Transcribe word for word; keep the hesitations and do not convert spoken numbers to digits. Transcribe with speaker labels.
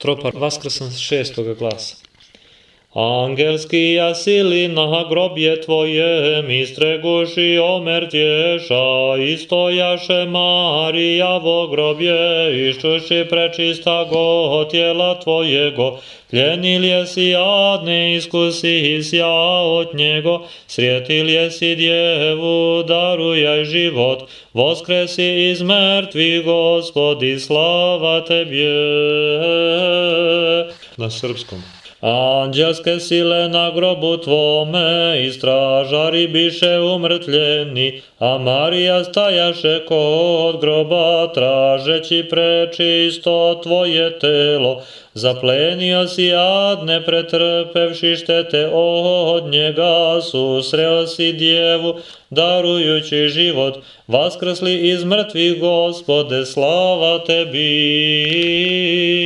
Speaker 1: Tropar vaskrsan šestoga glasa. Angelskija sili na grobje tvojem, istreguši omrtješa, istojaše Marijavo grobje, iščuši prečista go tijela tvojego, pljenil jesi jadne, iskusisja od njego, srijetil jesi djevu, darujaj život, voskresi iz mrtvih, Gospodi, slava tebje. Na srpskom. Anđelske sile na grobu tvome, i stražari biše umrtljeni, a Marija stajaše kod groba, tražeći prečisto tvoje telo. Zaplenio si jadne, pretrpevši štete od njega, susreo si djevu, darujući život, vaskrsli iz mrtvih, Gospode, slava tebi.